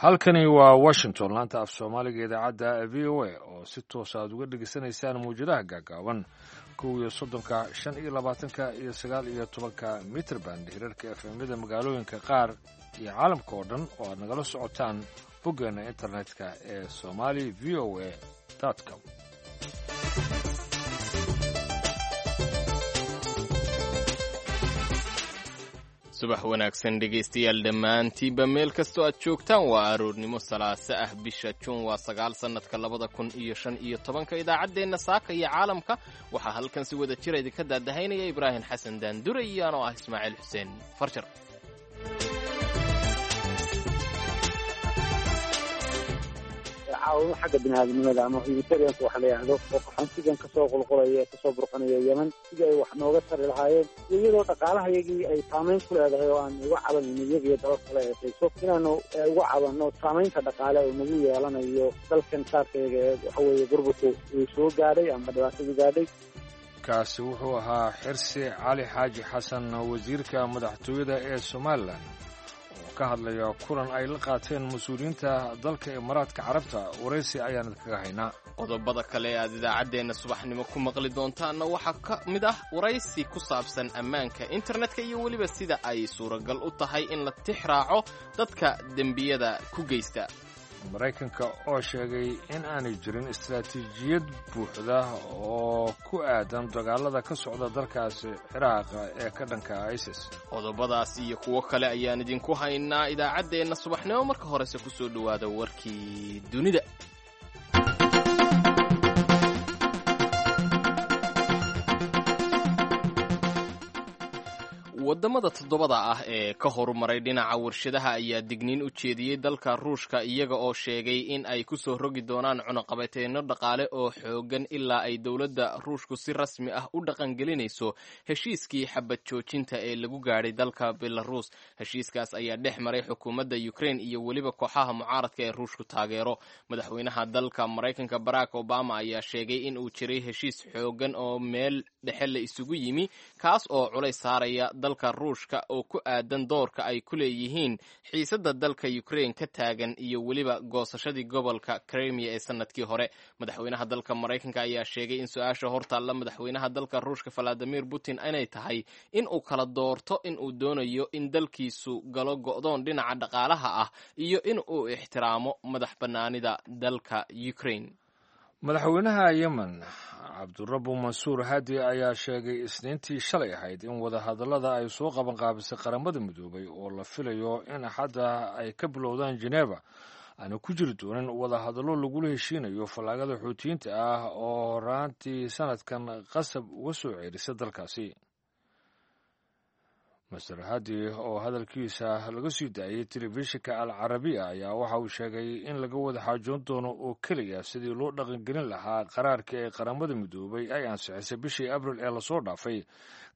Halkani waa Washington, laanta af Soomaaliga, idaacadda VOA oo si toosa aad uga dhegaysanaysaan mawjadaha gaagaaban 31-ka, 25-ka iyo 19-ka mitrband, hirarka FM-yada magaalooyinka qaar iyo caalamka oo dhan oo aad nagala socotaan boggeena internetka ee somali voa com. Subax wanaagsan, dhegaystayaal dhammaantiinba, meel kastoo aad joogtaan. Waa aroornimo salaase ah, bisha Juun waa 9, sannadka 2015-ka. Idaacaddeenna saaka iyo caalamka waxaa halkan si wada jira idinka daadahaynaya Ibraahim Xasan Daandure iyo anoo ah Ismaaciil Xuseen Farjar. Caawimo xagga biniaadamnimada ama humanitarianka waxa la yidhaahdo oo qaxoontigan kasoo qulqulaya ee kasoo burqanaya Yemen, sidii ay wax nooga tari lahaayeen, iyo iyadoo dhaqaalaha iyagii ay saamayn ku leedahay oo aan uga cabanayno iyaga iyo dalal kale eesayso inaanu uga cabanno saamaynta dhaqaale oo nagu yeelanayo dalkan saarkayaga ee waxa weeye burburku uu soo gaadhay ama dhibaatadu gaadhay. Kaasi wuxuu ahaa Xirsi Cali Xaaji Xasan, wasiirka madaxtooyada ee Somalilan, oo ka hadlaya kulan ay la qaateen mas-uuliyiinta dalka Imaaraadka Carabta. Waraysi ayaan idinkaga haynaa. Qodobada kale ee aad idaacaddeenna subaxnimo ku maqli doontaanna waxaa ka mid ah waraysi ku saabsan ammaanka internetka iyo weliba sida ay suuragal u tahay in la tix raaco dadka dembiyada ku geysta. Maraykanka oo sheegay in aanay jirin istaraatiijiyad buuxda oo ku aadan dagaalada ka socda dalkaasi Ciraaq ee ka dhanka ISIS. Qodobadaas iyo kuwo kale ayaan idinku haynaa idaacaddeenna subaxnimo. Marka horese ku soo dhowaada warkii dunida. Waddamada toddobada ah ee ka horumaray dhinaca warshadaha ayaa digniin u jeediyey dalka Ruushka, iyaga oo sheegay in ay ku soo rogi doonaan cunuqabateyno dhaqaale oo xooggan ilaa ay dowladda Ruushku si rasmi ah u dhaqangelinayso heshiiskii xabad joojinta ee lagu gaadhay dalka Belaruus. Heshiiskaas ayaa dhex maray xukuumadda Ukraine iyo weliba kooxaha mucaaradka ee Ruushku taageero. Madaxweynaha dalka Maraykanka Barack Obama ayaa sheegay in uu jiray heshiis xooggan oo meel dhexe la isugu yimi, kaas oo culays saaraya dalka Ruushka oo ku aadan doorka ay ku leeyihiin xiisadda dalka Ukraine ka taagan iyo weliba goosashadii gobolka Crimea ee sanadkii hore. Madaxweynaha dalka Maraykanka ayaa sheegay in su-aasha hortaalla madaxweynaha dalka Ruushka Valadimir Putin inay tahay in uu kala doorto in uu doonayo in dalkiisu galo go'doon dhinaca dhaqaalaha ah iyo in uu ixtiraamo madax bannaanida dalka Ukraine. Madaxweynaha Yemen Cabdurabu Mansuur Hadi ayaa sheegay Isniintii shalay ahayd in wadahadallada ay soo qabanqaabisay Qaramada Midoobay oo la filayo in Axadda ay ka bilowdaan Geneva aana ku jiri doonin wadahadallo lagula heshiinayo fallaagada Xuutiyiinta ah oo horaantii sanadkan qasab uga soo ceerisa dalkaasi. Master Hadi oo hadalkiisa laga sii daayey telefishinka Al Carabiya ayaa waxa uu sheegay in laga wada xaajoon doono oo keliya sidii loo dhaqangelin lahaa qaraarka ee Qaramada Midoobay ay ansixisay bishii Abril ee lasoo dhaafay,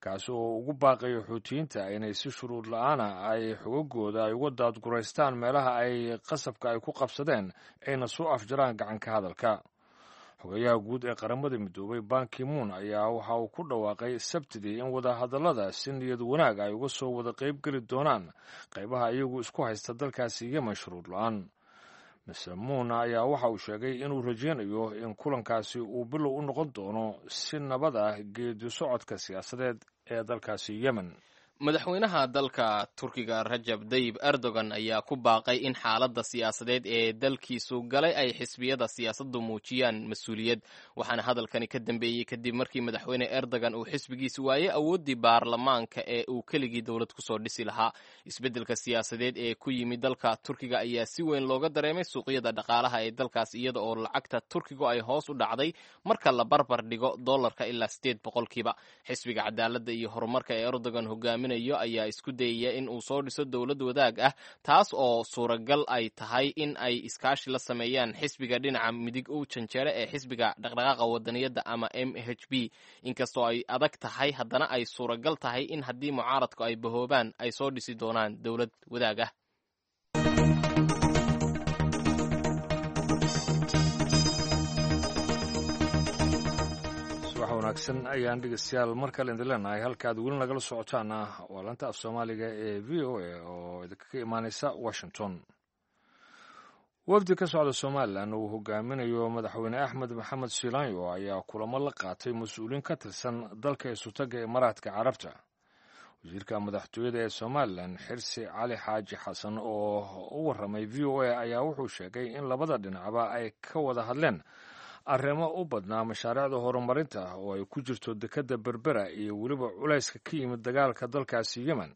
kaasi oo ugu baaqayo Xuutiyiinta inay si shuruud la-aana ay xogagooda ay uga daadguraystaan meelaha ay qasabka ay ku qabsadeen, ayna soo afjaraan gacanka hadalka. Xogayaha guud ee Qaramada Midoobay Bankimuun ayaa waxa uu ku dhawaaqay Sabtidii in wadahadallada si niyad wanaag ay uga soo wada qaybgeli doonaan qaybaha iyagu isku haysta dalkaasi Yemen shuruud la-aan. Mr Muun ayaa waxa uu sheegay inuu rajeynayo in kulankaasi uu bilow u noqon doono si nabad ah geedi socodka siyaasadeed ee dalkaasi Yemen. Madaxweynaha dalka Turkiga Rajab Dayib Erdogan ayaa ku baaqay in xaaladda siyaasadeed ee dalkiisu galay ay xisbiyada siyaasaddu muujiyaan mas-uuliyad. Waxaana hadalkani ka dambeeyey kadib markii madaxweyne Erdogan uu xisbigiisu waayey awooddii baarlamaanka ee uu keligii dowlad kusoo dhisi lahaa. Isbeddelka siyaasadeed ee ku yimid dalka Turkiga ayaa si weyn looga dareemay suuqyada dhaqaalaha ee dalkaas, iyada oo lacagta Turkigu ay hoos u dhacday marka la barbar dhigo dollarka ilaa 8%. Xisbiga Cadaaladda iyo Horumarka ee Erdogan hogaamin ayaa isku dayaya in uu soo dhiso dowlad wadaag ah, taas oo suuragal ay tahay in ay iskaashi la sameeyaan xisbiga dhinaca midig u janjeera ee Xisbiga Dhaqdhaqaaqa Wadaniyadda ama MHP. Inkastoo ay adag tahay, haddana ay suuragal tahay in haddii mucaaradku ay bahoobaan ay soo dhisi doonaan dowlad wadaag ah. Subax wanaagsan ayaan dhegeystayaal mar kale idin leenahay. Halka aad weli nagala socotaana waa lanta af Soomaaliga ee VOA oo idinkaga imaaneysa Washington. Wafdi ka socda Somalilan uu hogaaminayo madaxweyne Axmed Maxamed Silaanyo ayaa kulamo la qaatay mas-uuliin ka tirsan dalka isutaga Imaaraadka Carabta. Wasiirka madaxtooyada ee Somalilan, Xirsi Cali Xaaji Xasan, oo u warramay VOA ayaa wuxuu sheegay in labada dhinacba ay ka wada hadleen arrimo u badnaa mashaariicda horumarinta oo ay ku jirto dekedda Berbera iyo weliba culayska ka yimid dagaalka dalkaasi Yemen.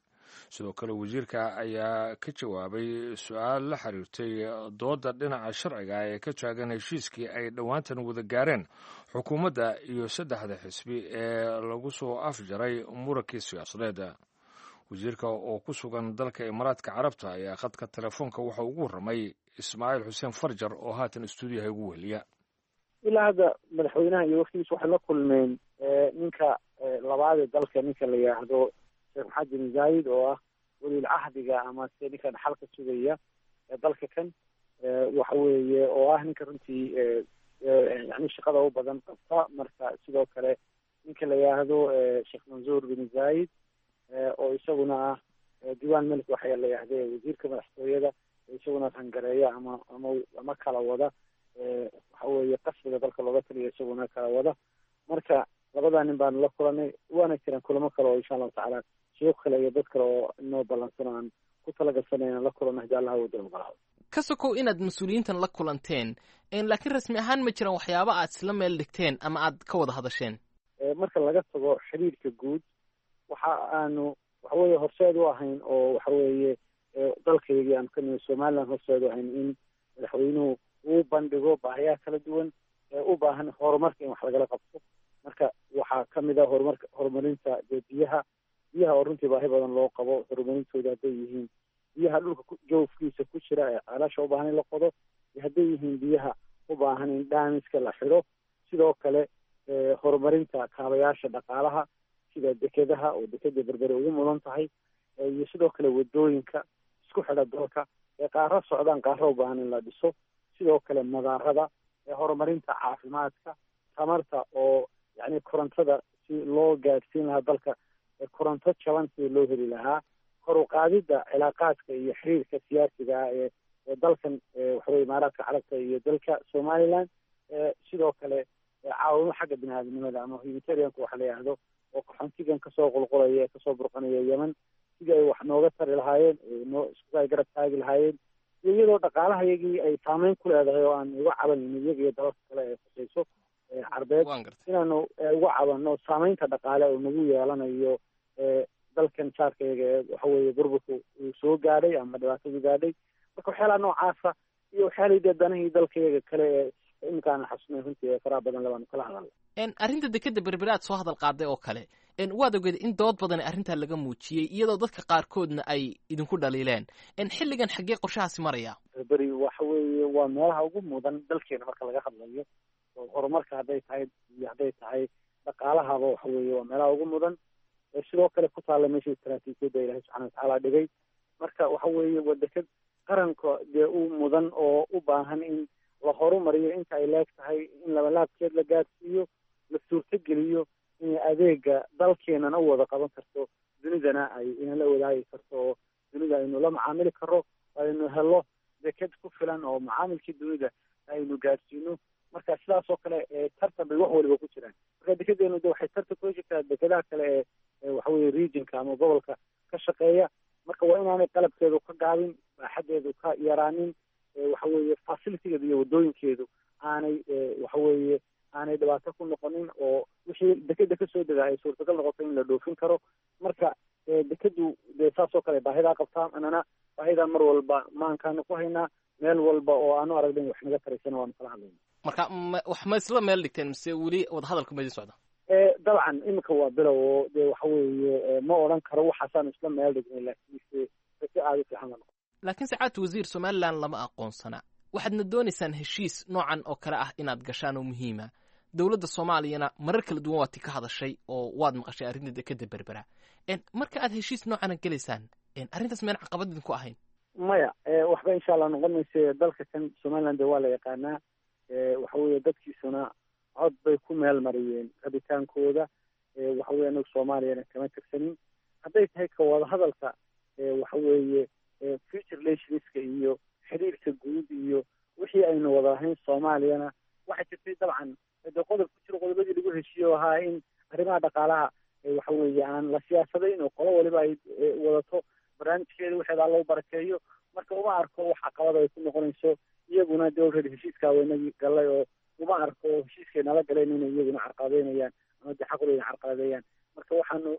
Sidoo kale wasiirka ayaa ka jawaabay su-aal la xiriirtay dooda dhinaca sharciga ee ka taagan heshiiskii ay dhowaantan wada gaareen xukuumadda iyo saddexda xisbi ee lagu soo afjaray murankii siyaasadeed. Wasiirka oo ku sugan dalka Imaaraadka Carabta ayaa khadka telefoonka waxa ugu warramay Ismaaciil Xuseen Farjar oo haatan istuudiyaha ugu weheliya. Ilaa hadda madaxweynaha iyo waftigiisa waxay la kulmeen ninka labaad ee dalka, ninka la yidhaahdo Sheekh Maxamed bin Zayid, oo ah weliil cahdiga ama se ninka dhaxalka sugaya ee dalka kan, waxa weeye oo ah ninka runtii yani shaqada u badan qabta. Marka sidoo kale ninka la yidhaahdo Sheekh Mansuur bin Zayid, oo isaguna ah diiwaan melik waxa la yidhahde wasiirka madaxtooyada, isaguna rangareeya ama kala wada, waxa weeye qasriga dalka looga taliya isaguna kala wada. Marka labadaa nin baanu la kulanay, waana jiraan kulamo kale oo insha allahu tacaala sheekh kale iyo dad kale oo inoo ballansan oo aan ku talagalsanay inaan la kulanno haddii Allah wada ogolaado. Ka sokow inaad mas-uuliyiintan la kulanteen, laakiin rasmi ahaan ma jiraan waxyaaba aad isla meel dhigteen ama aad ka wada hadasheen? Marka laga tago xiriirka guud, waxa aanu waxaweeye horseed u ahayn oo waxaweeye dalkaygii aanu ka nimi Somaliland horseed u ahayn in madaxweynuhu uu bandhigo baahiyaha kala duwan ee u baahan horumarka in wax lagala qabto. Marka waxaa kamid ah horumarka, horumarinta dee biyaha oo runtii baahi badan loo qabo horumarintooda, hadday yihiin biyaha dhulka joofkiisa ku jira ee ceelasha u baahan in la qodo, iyo hadday yihiin biyaha u baahan in dhaamiska la xidho. Sidoo kale horumarinta kaabayaasha dhaqaalaha sida dekedaha oo dekeda Berbere ugu mudan tahay, iyo sidoo kale wadooyinka isku xidha dalka ee qaaro socdaan, qaaro u baahan in la dhiso. Sidoo kale madaarada, ee horumarinta caafimaadka, tamarta oo yacni korontada si loo gaadhsiin lahaa dalka, koronto jaban sidii loo heli lahaa, kor u qaadidda cilaaqaadka iyo xiriirka siyaasiga ah ee dalkan waxaweye Imaaraadka Carabta iyo dalka Somaliland. Sidoo kale caawimo xagga bini aadamnimada ama humanitarianka waxa la yidhaahdo, oo qaxoontigan kasoo qulqulaya ee kasoo burqanaya Yemen, sidii ay wax nooga tari lahaayeen, noo isku ay garab taagi lahaayeen, iyo iyadoo dhaqaalahayagii ay saameyn ku leedahay oo aan uga cabanayno iyaga iyo dalalka kale ee khusayso carbeed, inaanu uga cabanno saameynta dhaqaale oo nagu yeelanayo dalkan jaarkayaga ee waxaweeye burburku uu soo gaadhay ama dhibaatadu gaadhay. Marka waxyaalaha noocaasa iyo waxyaalihii dee danihii dalkayaga kale ee iminka aanan xasuusnayn runtii ee faraha badan labaanu kala hadalna. Arrinta dekeda Berbere aad soo hadal qaaday oo kale, waad ogeed in dood badan arrintaa laga muujiyey, iyadoo dadka qaarkoodna ay idinku dhaliileen. Xilligan xaggee qorshahaasi maraya? Berberi waxa weeye waa meelaha ugu mudan dalkeena marka laga hadlayo oo horumarka hadday tahay iyo hadday tahay dhaqaalahaba, waxa weeye waa meelaha ugu mudan. Sidoo kale ku taalla meesha istaraatiijiyadda Ilahay subxana watacaala dhigay. Marka waxa weeye waa deked qaranka dee u mudan oo u baahan in la horumariyo inta ay leeg tahay, in labalaabkeed la gaadhsiiyo, la suurtogeliyo inay adeega dalkeenana u wada qaban karto, dunidana ay inala wadaagi karto, oo dunida aynu la macaamili karo, aynu helo deked ku filan oo macaamilkii dunida aynu gaadhsiino. Marka sidaas oo kale tartan bay wax waliba ku jiraan. Marka dekedeenu de waxay tartan kula jirtaa dekedaha kale ee waxaweye regionka ama gobolka ka shaqeeya. Marka waa inaanay qalabkeedu ka gaabin, baaxaddeedu ka yaraanin, waxaweeye facilitigeedu iyo waddooyinkeedu aanay waxaweeye aanay dhibaato ku noqonin, oo wixii dekeda kasoo dega ay suurtagal noqoto in la dhoofin karo. Marka dekedu dee saas oo kale baahidaa qabtaa, anana baahidaa mar walba maankaanu ku haynaa, meel walba oo aanu aragna in wax naga taraysana waanu kala hadlayna. Marka wax ma isla meel dhigteen mise weli wadahadalka ma idin socda? Dabcan iminka waa bilow oo dee waxa weeye ma odhan karo waxaasaanu isla meel dhignay, laakiinse si aada u fiican la noqon. Laakiin sacaadta wasiir, Somalilan lama aqoonsana, waxaadna doonaysaan heshiis noocan oo kale ah inaad gashaan oo muhiima. Dowladda Soomaaliyana marar kala duwan waad ti ka hadashay oo waad maqashay arrinta dekeda Berbera. Marka aad heshiis noocana gelaysaan, arrintaas meen caqabad idinku ahayn? Maya, waxba insha allah noqon mayse. Dalka kan Somaliland dee waa la yaqaanaa, waxa weeye dadkiisuna cod bay ku meel mariyeen rabitaankooda. Waxa weye anagu Soomaaliyana kama tirsanin. Hadday tahay ka wada hadalka waxa weeye future relationska iyo xiriirka guud iyo Wixii aynu wada lahayn Soomaaliyana waxaa jirtay dabcan de qodob ku jiro qodobadii lagu heshiiyo ahaa in arrimaha dhaqaalaha waxa weeye aan la siyaasadayn oo qolo waliba ay wadato barnaamijkeeda waxeeda alla u barakeeyo. Marka uma arko wax caqabada ay ku noqonayso, iyaguna dee already heshiiskaa waynagii galay oo uma arko heshiiskay nala galeen inay iyaguna carqaladeynayaan ama dee xaquleyna carqaladeeyaan. Marka waxaanu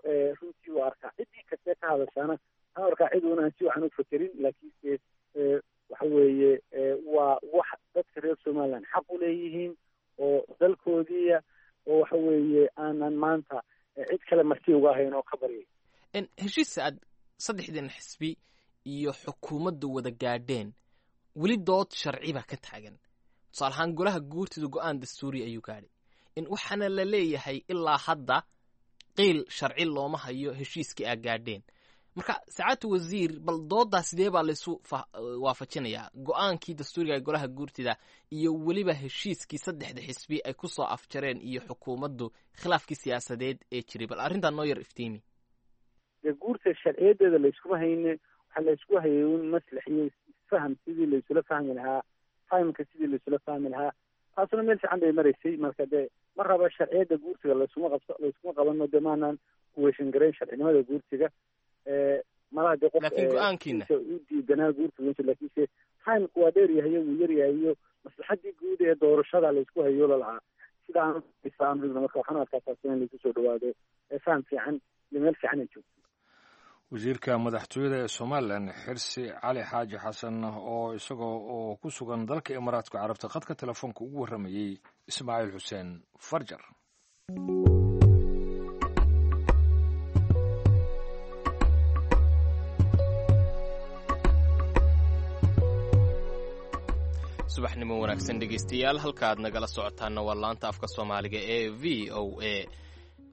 runtii u arkaa ciddii kastee ka hadashaana waxaan arkaa cid uun aan si waxan u fekerin, laakiinse waxa weeye waa wax dadka reer Somaliland xaq u leeyihiin oo dalkoodiiya oo waxa weeye aanan maanta cid kale marti uga ahayn oo ka baryay. Heshiis aad saddexdan xisbi iyo xukuumadda wada gaadheen weli dood sharci baa ka taagan. Tusaale ahaan golaha guurtida go-aan dastuuri ayuu gaadhay, waxaana la leeyahay ilaa hadda qiil sharci looma hayo heshiiskii aa gaadheen. Marka sacaadta wasiir, bal dooddaa sidee baa laysu waafajinayaa go-aankii dastuuriga ee golaha guurtida iyo weliba heshiiskii saddexda xisbi ay ku soo afjareen iyo xukuumaddu khilaafkii siyaasadeed ee jiray? Bal arrintaa noo yar iftiimi. Dee guurta sharciyadeeda layskuma hayne, waxaa laysku hayay un maslax iyo isfaham, sidii laysula fahmi lahaa timeka, sidii laysula fahmi lahaa, taasuna meel fiican bay maraysay. Marka dee ma raba sharciyadda guurtiga laysuma qabso, layskuma qabano, dee maanaan kuweeshan garayn sharcinimada guurtiga malaha dee qof laakiin go-aankiina u diidanaa guurtiga, laakiinse timeku waa dheer yahay, wuu yar yahay, iyo maslaxadii guud ee doorashada laysku hayoola lahaa sida aan marka waxaan arkaa taas in laysu soo dhawaado faham fiican iyo meel fiican ay joogto. Wasiirka madaxtooyada ee Somalilan Xirsi Cali Xaaji Xasan oo isagoo oo ku sugan dalka Imaaraadka Carabta khadka telefoonka ugu warramayey Ismaaciil Xuseen Farjar. Subaxnimo wanaagsan dhegeystayaal, halkaaad nagala socotaana waa laanta afka Soomaaliga ee v o a.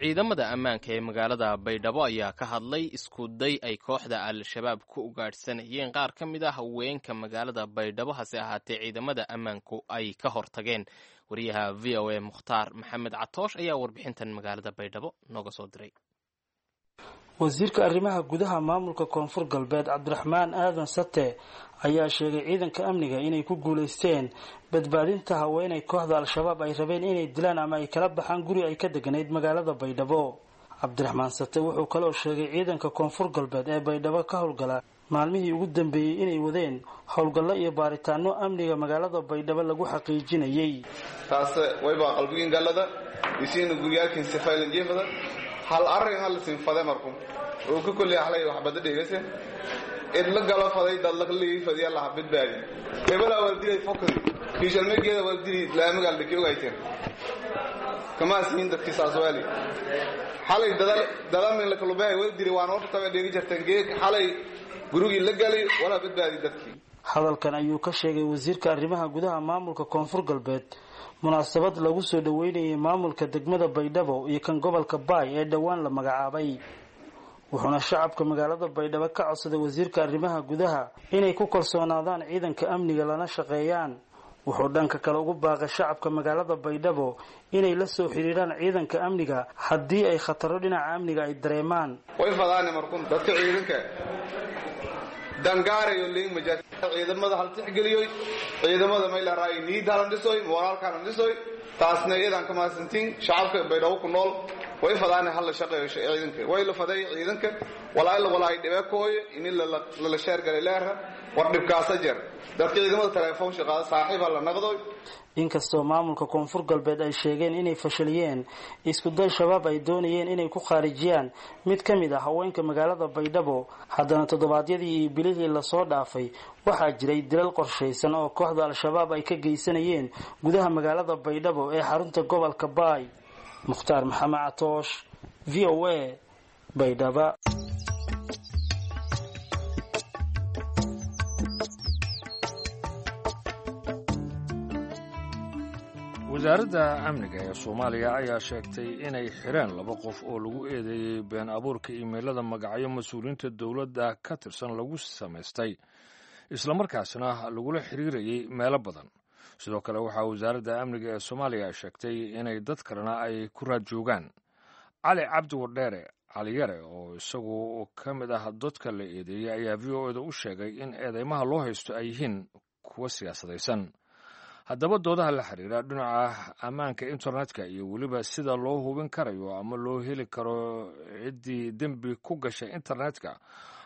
Ciidamada ammaanka ee magaalada Baydhabo ayaa ka hadlay isku day ay kooxda Al-Shabaab ku ugaadhsanayeen qaar ka mid ah haweenka magaalada Baydhabo, hase ahaatee ciidamada ammaanku ay ka hortageen. Wariyaha v o a Mukhtaar Maxamed Catoosh ayaa warbixintan magaalada Baydhabo nooga soo diray. Wasiirka arrimaha gudaha maamulka Koonfur Galbeed Cabdiraxmaan Aadan Sate ayaa sheegay ciidanka amniga inay ku guulaysteen badbaadinta haweenay kooxda Al-Shabaab ay rabeen inay dilaan ama ay kala baxaan guri ay ka deganayd magaalada Baydhabo. Cabdiraxmaan Sate wuxuu kaloo sheegay ciidanka Koonfur Galbeed ee Baydhabo ka howlgala maalmihii ugu dambeeyey inay wadeen howlgallo iyo baaritaano amniga magaalada Baydhabo lagu xaqiijinayay. Taas waybaa qalbigiin gallada isiina guryaalkiin sifaylanjeefada hal arrin hal sinfade marku uu ka kulli ahlay wax bada dhigayse id la galo faday dad la lii fadiya la badbaadi hebela wal dilay fokadi kiishalmegeeda wal dilay laamiga la kiyogayteen kama siin dadkii saaswaali xalay dadal dalamin la kulubay wal dilay waan horta tabe dhigi jirteen geek xalay gurigii la galay wala badbaadi dadkii. Hadalkan ayuu ka sheegay wasiirka arrimaha gudaha maamulka Koonfur Galbeed munaasabad lagu soo dhaweynayay maamulka degmada Baydhabo iyo kan gobolka Baay ee dhowaan la magacaabay. Wuxuuna shacabka magaalada Baydhabo ka codsaday wasiirka arrimaha gudaha inay ku kalsoonaadaan ciidanka amniga lana shaqeeyaan. Wuxuu dhanka kale ugu baaqay shacabka magaalada Baydhabo inay la soo xiriiraan ciidanka amniga haddii ay khataro dhinaca amniga ay dareemaan. Way fadaane markun dadka ciidanka dangaarayo liin majaar ciidamada hal tixgeliyoy ciidamada may la raay niid halan dhisoy moraalka halan dhisoy taasna iyadan ka mahadsantiin shacabka Baydhabo ku nool. Way fadaane hal la shaqeeyo ciidanka, way la faday ciidanka walaal walaay dhibakooy in la la sheer galay leer war dhibkaasa jir dadka ciidamada telefoon shaqada saaxiib la naqdo. Inkastoo maamulka Koonfur Galbeed ay sheegeen inay fashiliyeen isku day Shabaab ay doonayeen inay ku khaarijiyaan mid ka mid ah haweenka magaalada Baydhabo, haddana toddobaadyadii iyo bilihii lasoo dhaafay waxaa jiray dilal qorshaysan oo kooxda Al-Shabaab ay ka geysanayeen gudaha magaalada Baydhabo ee xarunta gobolka Baay. Mukhtaar Maxamed Catoosh, v o a, Baydhaba. Wasaaradda amniga ee Soomaaliya ayaa sheegtay inay xireen laba qof oo lagu eedeeyey been abuurka iimaylada magacyo mas-uuliyiinta dowladda ka tirsan lagu samaystay islamarkaasna lagula xiriirayay meelo badan. Sidoo kale waxaa wasaaradda amniga ee Soomaaliya ay sheegtay inay dad kalena ay ku raad joogaan. Cali Cabdi Wardheere Caliyare oo isagu ka mid ah dadka la eedeeyey ayaa v o eda u sheegay in eedeymaha loo haysto ay yihiin kuwo siyaasadaysan. Haddaba doodaha la xiriira dhinaca ammaanka internetka iyo weliba sida loo hubin karayo ama loo heli karo ciddii dembi ku gashay internetka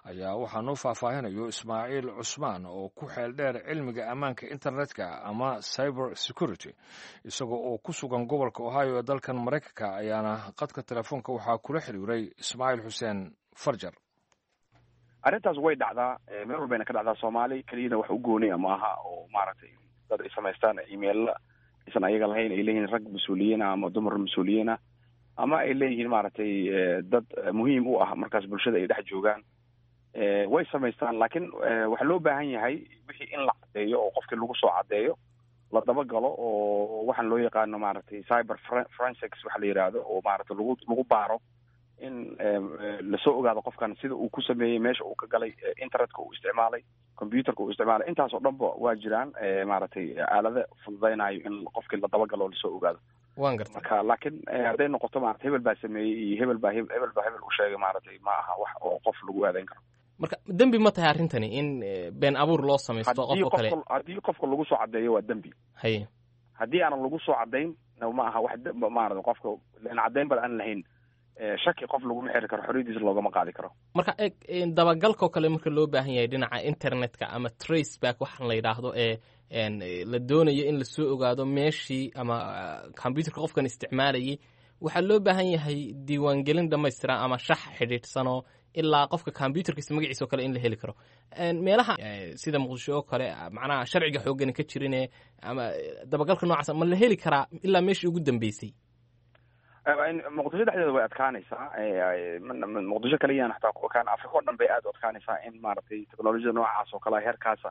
ayaa waxaa noo faahfaahinayo Ismaaciil Cusmaan oo ku xeel dheer cilmiga ammaanka internetka ama cyber security, isagoo oo ku sugan gobolka Ohio ee dalkan Maraykanka. Ayaana qadka telefoonka waxaa kula xiriiray Ismaaciil Xuseen Farjar. Arrintaas way dhacdaa, meel walbayna ka dhacdaa. Soomaali keliyana wax u gooniya maaha oo maaragtay dad ay samaystaan emailla aysan ayaga lahayn, ay leeyihiin rag mas-uuliyiin ah ama dumar mas-uuliyiin ah, ama ay leeyihiin maaragtay dad muhiim u ah markaas bulshada ay dhex joogaan, way samaystaan. Laakiin waxaa loo baahan yahay wixii in la caddeeyo oo qofkii lagu soo caddeeyo, la dabagalo, oo waxaan loo yaqaano maaragtay cyber forensics waxa la yidhaahdo, oo maaragtay lagu baaro in lasoo ogaado qofkan sida uu ku sameeyey, meesha uu ka galay, internetka uu isticmaalay, computerka uu isticmaalay. Intaas oo dhanba waa jiraan maaragtay aalado fududaynayo in qofkii la dabagalo oo lasoo ogaado. Waan gartay. Marka laakiin hadday noqoto maarata hebel baa sameeyey iyo hebel baa hebel u sheegay, maaragtay ma aha wax oo qof lagu aadayn karo. Marka dembi ma tahay arrintani in been abuur loo samaysto qof oo kale? Haddii qofka lagu soo caddeeyo, waa dembi. Haye. Haddii aanan lagu soo caddayn, ma aha wax maarata qofka lan caddayn bal aan lahayn, shaki qof laguma xiri karo, xorriyadiisa loogama qaadi karo. Marka eeg, dabagalkoo kale marka loo baahan yahay dhinaca internetka ama trace back waxaan la yidhaahdo ee la doonayo in lasoo ogaado meeshii ama computerka qofkan isticmaalayay, waxaa loo baahan yahay diiwaangelin dhamaystiran ama shax xidhiidhsanoo ilaa qofka computerkiisa magaciisa oo kale in la heli karo. Meelaha sida Muqdisho oo kale, macnaha sharciga xooggani ka jirine, ama dabagalka noocaas ma la heli karaa ilaa meeshii ugu dambeysay? Muqdisho dhexdeeda way adkaanaysaa. Muqdisho kaliyana xataa kaan, Africa o dhan bay aad u adkaanaysaa in maaragtay technolojiyada noocaas oo kale heerkaasa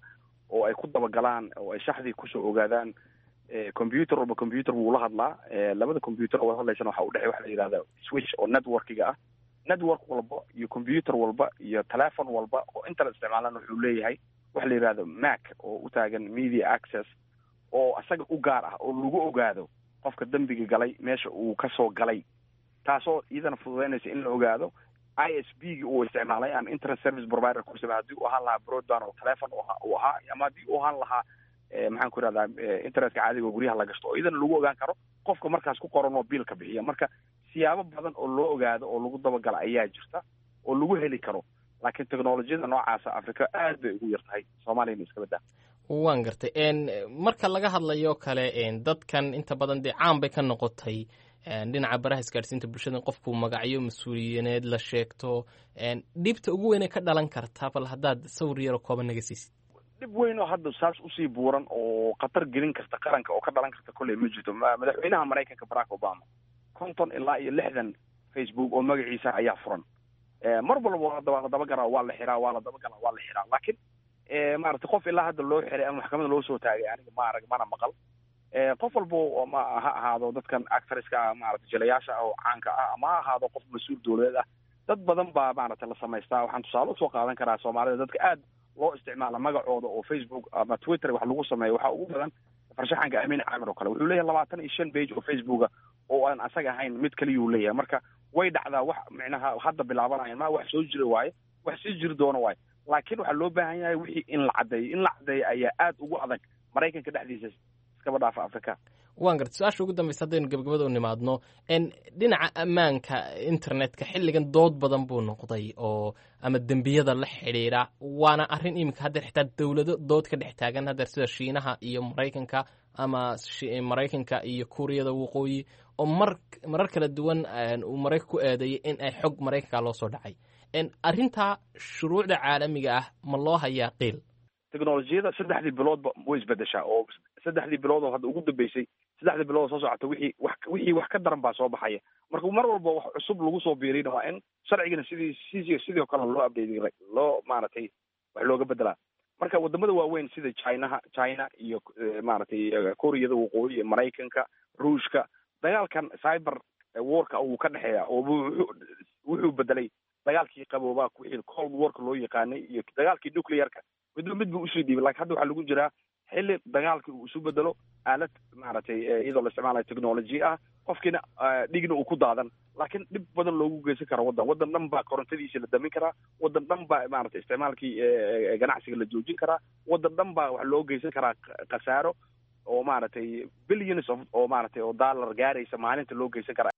oo ay ku dabagalaan oo ay shaxdii kusoo ogaadaan. Computer walba computer wuu la hadlaa. Labada computer oo wada hadlaysana waxa udhexey waxa la yidhahda switch oo networkiga ah. Network walba iyo computer walba iyo telephone walba oo internet isticmaalan wuxuu leeyahay waxa la yidhahdo MAC, oo u taagan media access, oo isaga u gaar ah oo lagu ogaado qofka dembiga galay meesha uu kasoo galay, taasoo iyadana fududeynaysa in la ogaado ISP gi uu isticmaalay ama internet service provider ku isticmaalay, haddii uu ahaan lahaa broadband oo telephone uu ahaa, ama haddii uu ahaan lahaa, maxaan ku ihahdaa, internetka caadiga oo guryaha la gashto, oo iyadana lagu ogaan karo qofka markaas ku qoran oo biilka bixiya. Marka siyaabo badan oo loo ogaado oo lagu dabagala ayaa jirta oo lagu heli karo, laakiin technolojiyada noocaasa Africa aad bay ugu yar tahay, Soomaaliyana iska baddaa. Waan gartay. Marka laga hadlayo kale dadkan inta badan dee caan bay ka noqotay dhinaca baraha isgaadhsiinta bulshada in qofku magacyo mas-uuliyineed la sheegto. Dhibta ugu weynee ka dhalan karta, bal haddaad sawir yaroo kooban naga siisid? Dhib weyn oo hadda saas usii buuran oo khatar gelin karta qaranka oo ka dhalan karta kolley ma jirto. Madaxweynaha Maraykanka Barack Obama 50 ilaa iyo 60 Facebook oo magaciisa ayaa furan. Mar walba waa la dabagalaa, waa la xiraa, waa la dabagalaa, waa la xiraa. Laakiin maaragtay qof ilaa hadda loo xiray ama maxkamadda loo soo taagay aniga ma arag mana maqal. Qof walbo ma ha ahaado dadkan actorska ah, maaragtay jilayaasha ah oo caanka ah, ama ha ahaado qof mas-uul dowladeed ah, dad badan baa maaragtay la samaystaa. Waxaan tusaale usoo qaadan karaa Soomaalida dadka aad loo isticmaala magacooda oo Facebook ama Twitter wax lagu sameeyo, waxaa ugu badan farshaxanka Amiin Caamir oo kale. Wuxuu leeyahay 25 page oo Facebooka oo aan asaga ahayn mid kaliyuu leeyahay. Marka way dhacdaa. Wax micnaha hadda bilaabanayan ma wax soo jira waaye, wax sii jiri doono waaye. Laakiin waxaa loo baahan yahay wixii in la caddeeyo. In la caddeeyo ayaa aad ugu adag Maraykanka dhexdiisa, iskaba dhaafa Africa. Waan gartay. Su-aasha ugu dambaysa haddaynu gabagabada u nimaadno, dhinaca ammaanka internetka xilligan dood badan buu noqday oo ama dembiyada la xidhiidha, waana arrin iminka haddeer xitaa dowlado dood ka dhex taagan haddeer, sida Shiinaha iyo Maraykanka ama Maraykanka iyo Kuuriyada Waqooyi, oo mar marar kala duwan uu Maraykanka ku eedeeyay in ay xog Maraykanka loo soo dhacay. Arrintaa shuruucda caalamiga ah ma loo hayaa qiil? Technolojiyada saddexdii biloodba way isbedeshaa, oo saddexdii bilood oo hadda ugu dambeysay, saddexdii bilood oo soo socota wixii wax ka daran baa soo baxaya. Marka mar walba wax cusub lagu soo biirina waa in sharcigana sidii si sidoo kale loo update, loo maaragtay wax looga bedelaa. Marka wadamada waaweyn sida Chinaha, China iyo maaragtay Kuuriyada Waqooyi iyo Maraykanka, Ruushka, dagaalkan cyber warka wuu ka dhexeeya, oo wuxuu bedelay dagaalkii qaboobaa, wixii cold warka loo yaqaanay, iyo dagaalkii nuclearka, midba mid buu usii dhiibay. Lakin hadda waxaa lagu jiraa xilli dagaalkii uu isu bedelo aalad maaragtay iyadoo la isticmaalayo technology ah, qofkiina dhigna uu ku daadan, laakiin dhib badan loogu geysan karo waddan. Waddan dhan baa korontadiisa la damin karaa, waddan dhan baa maaragtay isticmaalkii ganacsiga la joojin karaa, waddan dhan baa wax loo geysan karaa khasaaro. oo maaragtay billions of oo maaragtay oo dollar gaaraysa maalinta loo geysan kara.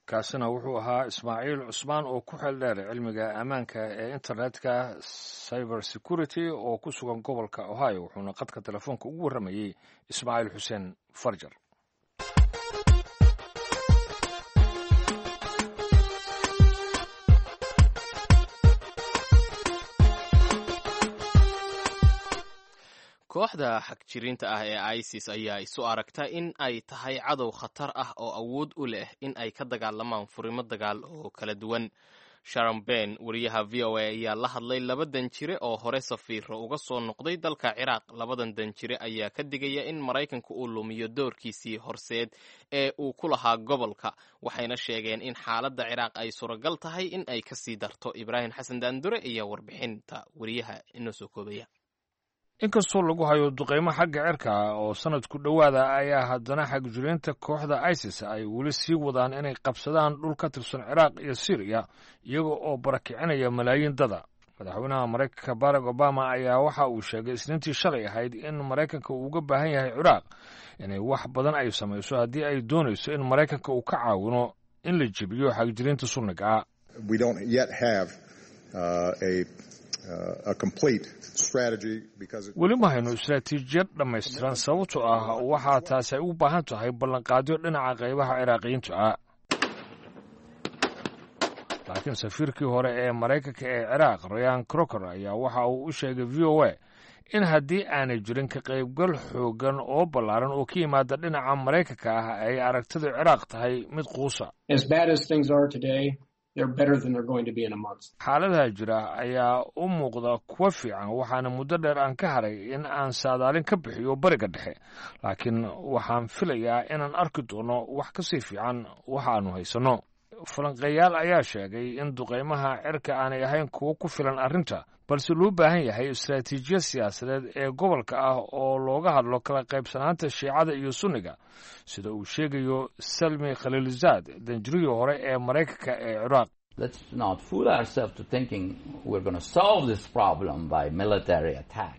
Kaasina wuxuu ahaa Ismaaciil Cusmaan oo ku xeel dheer cilmiga ammaanka ee internetka, cyber security, oo ku sugan gobolka Ohio, wuxuuna qadka telefoonka ugu warramayey Ismaaciil Xuseen Farjar. Kooxda xagjirinta ah ee ISIS ayaa isu aragta in ay tahay cadow khatar ah oo awood u leh in ay ka dagaalamaan furimo dagaal oo kala duwan. Sharon Ben, wariyaha VOA, ayaa la hadlay laba danjire oo hore safiiro uga soo noqday dalka Ciraaq. Labadan danjire ayaa ka digaya in Maraykanku uu lumiyo doorkiisii horseed ee uu ku lahaa gobolka, waxayna sheegeen in xaaladda Ciraaq ay suuragal tahay in ay kasii darto. Ibraahim Xasan Daandure ayaa warbixinta wariyaha inoo soo koobaya. Inkastoo lagu hayo duqeymo xagga cirka oo sanadku dhowaada, ayaa haddana xagjiriinta kooxda ISIS ay weli sii wadaan inay qabsadaan dhul ka tirsan Ciraaq iyo Siiriya, iyaga oo barakicinaya malaayiin dada. Madaxweynaha Maraykanka Barack Obama ayaa waxa uu sheegay Isniintii shalay ahayd in Maraykanka uu uga baahan yahay Ciraaq inay wax badan ay samayso haddii ay doonayso in Maraykanka uu ka caawino in la jebiyo xagjiriinta sunniga ah. Weli ma hayno istaraatiijiyad dhammaystiran, sababtoo ah waxaa taasi ay u baahan tahay ballanqaadyo dhinaca qaybaha Ciraaqiyiinta ah. Laakiin safiirkii hore ee Maraykanka ee Ciraaq, Rayan Crocker, ayaa waxa uu u sheegay VOA in haddii aanay jirin ka qaybgal xooggan oo ballaaran oo ka yimaada dhinaca Maraykanka ah, ay aragtida Ciraaq tahay mid quusa. Xaaladaha jira ayaa u muuqda kuwa fiican, waxaana muddo dheer aan ka haray in aan saadaalin ka bixiyo Bariga Dhexe, laakiin waxaan filayaa inaan arki doono wax ka sii fiican waxaanu haysanno. Falanqeeyaal ayaa sheegay in duqeymaha cirka aanay ahayn kuwo ku filan arrinta, balse loo baahan yahay istaraatiijiyad siyaasadeed ee gobolka ah oo looga hadlo kala qaybsanaanta Shiicada iyo Sunniga, sida uu sheegayo Salmi Khaliilzaad, danjirihii hore ee Maraykanka ee Ciraaq.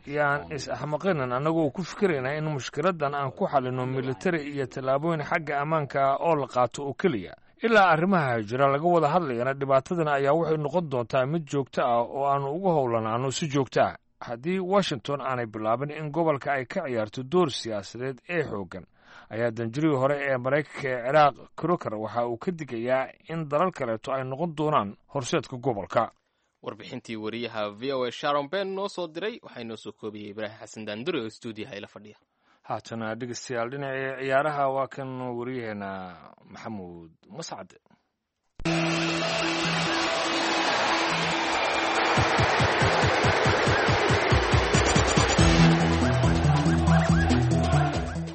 Yaan is-axmaqinin annagoo ku fikiraynaa in mushkiladan aan ku xalino militari iyo tallaabooyin xagga ammaanka ah oo la qaato oo keliya. Ilaa arrimaha jira laga wada hadlayana, dhibaatadana ayaa waxay noqon doontaa mid joogto ah oo aanu uga howlanaano si joogto ah haddii Washington aanay bilaabin in gobolka ay ka ciyaarto door siyaasadeed ee xooggan, ayaa danjirihii hore ee Maraykanka ee Ciraaq Croker waxa uu ka digayaa in dalal kaleeto ay noqon doonaan horseedka gobolka. Warbixintii wariyaha VOA Sharon Ben noo soo diray waxaa inoo soo koobiyey Ibraahim Xasan Daandure oo stuudiyaha ila fadhiya. Haatana dhegeystayaal, dhinacii ciyaaraha, waa kan wariyaheena Maxamuud Mascad.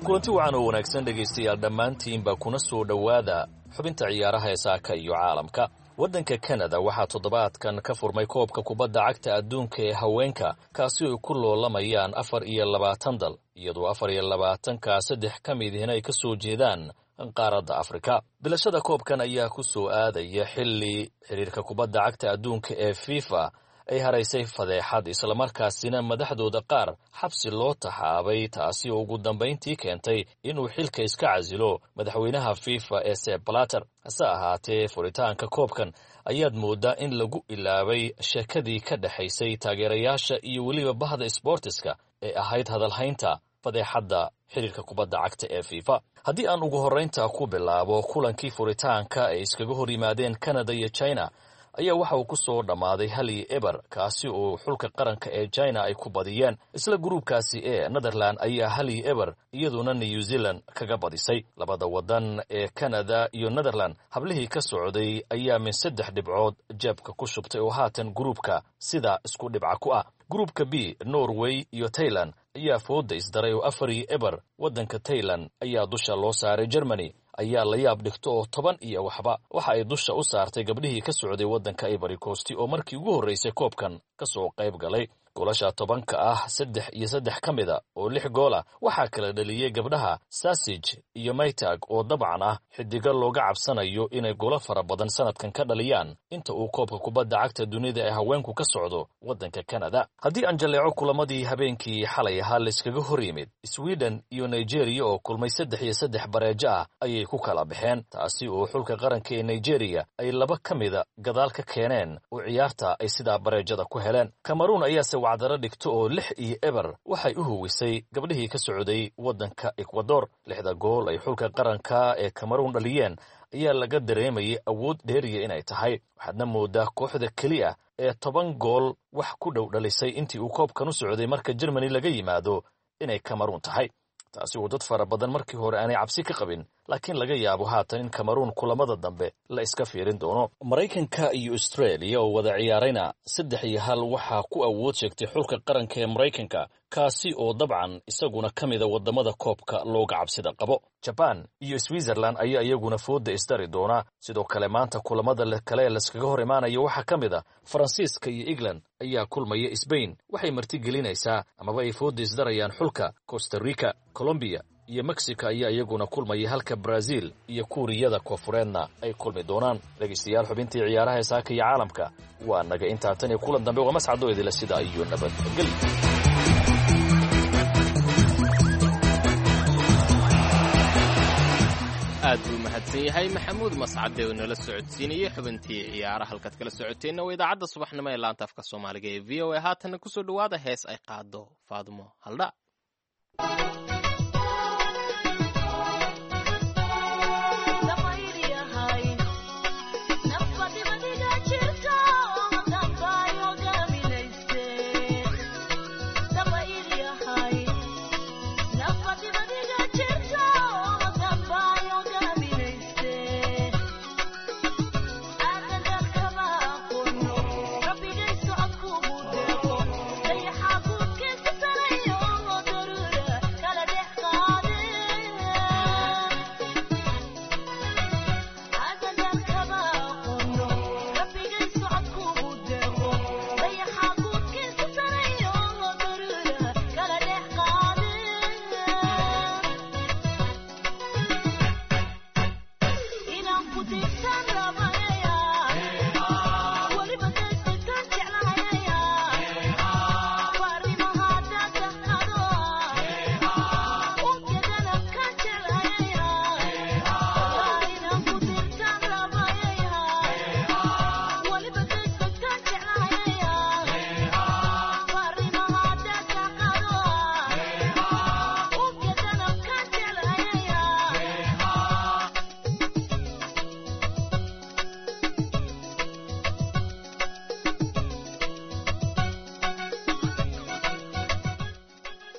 Kulanti wacan oo wanaagsan dhegaystayaal dhammaantiinba, kuna soo dhowaada xubinta ciyaaraha ee saaka iyo caalamka. Waddanka Kanada waxaa toddobaadkan ka furmay koobka kubadda cagta adduunka ee haweenka, kaasi ay ku loolamayaan 24 dal, iyadoo 24-kaa saddex ka midihina ay ka soo jeedaan qaaradda Afrika. Bilashada koobkan ayaa ku soo aadaya xilli xidhiirka kubadda cagta adduunka ee FIFA ay haraysay fadeexad, islamarkaasina madaxdooda qaar xabsi loo taxaabay, taasi oo ugu dambayntii keentay inuu xilka iska casilo madaxweynaha FIFA ee Sepp Blatter. Hase ahaatee, furitaanka koobkan ayaad mooddaa in lagu ilaabay sheekadii ka dhexaysay taageerayaasha iyo weliba bahda sboortiska ee ahayd hadalhaynta fadeexadda xidhiirka kubadda cagta ee FIFA. Haddii aan ugu horraynta ku bilaabo kulankii furitaanka ay iskaga hor yimaadeen Canada iyo China ayaa waxa uu ku soo dhammaaday 1-0, kaasi oo xulka qaranka ee China ay ku badiyeen. Isla gruubkaasi ee Netherland ayaa 1-0 iyaduna New Zealand kaga badisay. Labada wadan ee Canada iyo Netherland hablihii ka socday ayaa min saddex dhibcood jeebka ku shubtay oo haatan gruubka sidaa isku dhibca ku ah. Gruubka B, Norway iyo Tailand ayaa fooda isdaray oo 4-0 waddanka Tailand ayaa dusha loo saaray. Germany ayaa la yaab dhigto oo toban iyo waxba waxa ay dusha u saartay gabdhihii ka socday waddanka Ivory Coast oo markii ugu horreysay koobkan ka soo qayb galay. Goolasha 10-ka ah, 3 iyo 3 ka mida oo 6 goola waxaa kala dhaliyey gabdhaha Sasij iyo Maytag, oo dabcan ah xidigo looga cabsanayo inay goolo fara badan sanadkan ka dhaliyaan inta uu koobka kubadda cagta dunida ee haweenku ka socdo waddanka Kanada. Haddii aan jalleeco kulamadii habeenkii xalay ahaa layskaga hor yimid, Sweden iyo Nigeria oo kulmay 3 iyo 3 bareejo ah ayay ku kala baxeen, taasi oo xulka qaranka ee Nigeria ay 2 ka mida gadaal ka keeneen oo ciyaarta ay sidaa bareejada ku heleen. Cameroon ayaase wacdaro dhigto oo 6-0 waxay u huwisay gabdhihii ka socday waddanka Ecuador. 6da gool ay xulka qaranka ee Cameroon dhaliyeen ayaa laga dareemayay awood dheeriya inay tahay, waxaadna moodaa kooxda keliya ee 10 gool wax ku dhow dhalisay intii uu koobkan u socday marka Germany laga yimaado inay Cameroon tahay, taasi oo dad fara badan markii hore aanay cabsi ka qabin, laakiin laga yaabo haatan in Cameroon kulamada dambe la iska fiirin doono. Maraykanka iyo Australia oo wada ciyaarayna 3-1 waxaa ku awood sheegtay xulka qaranka ee Maraykanka, kaasi oo dabcan isaguna ka mida wadamada koobka looga cabsida qabo. Jaban iyo Switzerland ayaa iyaguna fooda isdari doona. Sidoo kale maanta kulamada kale ee laskaga hor imaanaya waxaa ka mid a Faransiiska iyo England ayaa kulmaya. Sbain waxay martigelinaysaa amaba ay fooda isdarayaan xulka Costa Rica. Colombia iyo Mexico ayaa iyaguna kulmaya, halka Brazil iyo Kuuriyada Koonfureedna ay kulmi doonaan. Dhegaystayaal, xubintii ciyaaraha saaka iyo caalamka waa naga intaa. Tan iyo kulan dambe waa mascadoo idila sidaa iyo nabadgelyo. Aad buu mahadsan yahay Maxamuud Mascade oo nala socodsiinayey xubintii ciyaaraha. Halkaad kala socoteenna waa idaacadda subaxnimo ee laanta afka Soomaaliga ee VOA. Haatanna kusoo dhowaada hees ay qaado Faadumo Haldha.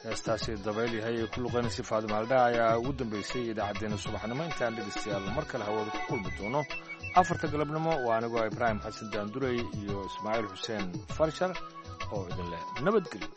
Heestaasi dabayl yahay ee ku luqaynaysa Faadimo Haldhaa ayaa ugu dambeysay idaacaddeenna subaxnimo. Intaan dhegaystayaal mar kale hawada ku kulmi doono 4ta galabnimo, waa anigoo Ibraahim Xasan Daandurey iyo Ismaaciil Xuseen Farshar oo idin leh nabadgelyo.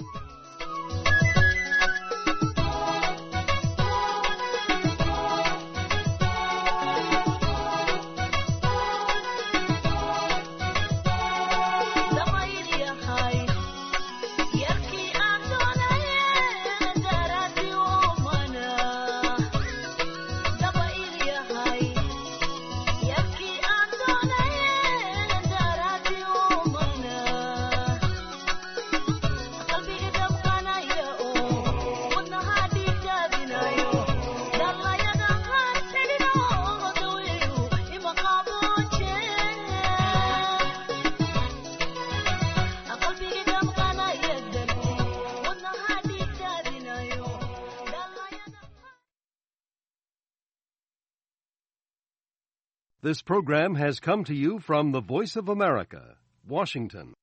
This program has come to you from the Voice of America, Washington.